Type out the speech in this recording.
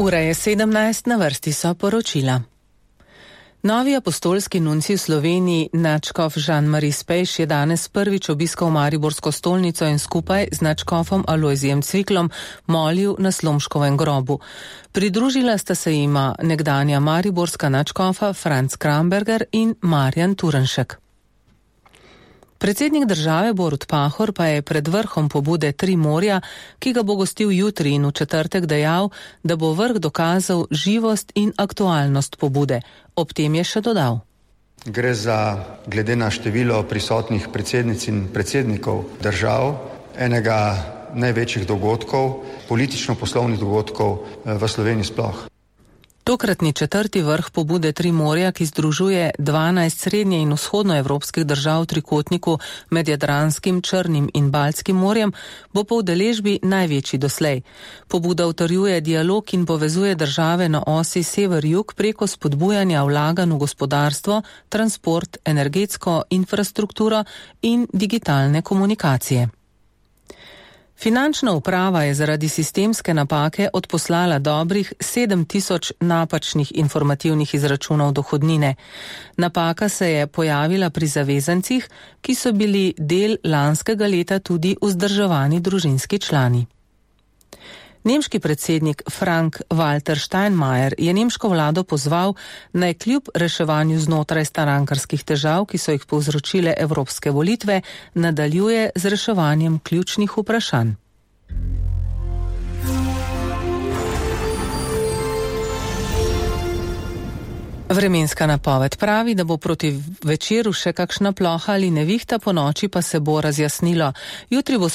Ura je 17, na vrsti so poročila. Novi apostolski nuncij v Sloveniji, nadškof Jean-Marie Spejš, je danes prvič obiskal Mariborsko stolnico in skupaj z nadškofom Alojzijem Cviklom molil na Slomškovem grobu. Pridružila sta se jima nekdanja mariborska nadškofa Franc Kramberger in Marjan Turnšek. Predsednik države Borut Pahor pa je pred vrhom pobude Tri morja, ki ga bo gostil jutri in v četrtek, dejal, da bo vrh dokazal živost in aktualnost pobude. Ob tem je še dodal. Gre za, glede na število prisotnih predsednic in predsednikov držav, enega največjih dogodkov, politično-poslovnih dogodkov v Sloveniji sploh. Tokratni četrti vrh pobude Tri morja, ki združuje 12 srednje in vzhodnoevropskih držav v trikotniku med Jadranskim, Črnim in Baltskim morjem, bo po udeležbi največji doslej. Pobuda utrjuje dialog in povezuje države na osi sever-jug preko spodbujanja vlaganj v gospodarstvo, transport, energetsko infrastrukturo in digitalne komunikacije. Finančna uprava je zaradi sistemske napake odposlala dobrih 7000 napačnih informativnih izračunov dohodnine. Napaka se je pojavila pri zavezancih, ki so bili del lanskega leta tudi vzdrževani družinski člani. Nemški predsednik Frank-Walter Steinmeier je nemško vlado pozval, naj kljub reševanju znotraj strankarskih težav, ki so jih povzročile evropske volitve, nadaljuje z reševanjem ključnih vprašanj. Vremenska napoved pravi, da bo proti večeru še kakšna ploha ali nevihta, po noči pa se bo razjasnilo. Jutri bo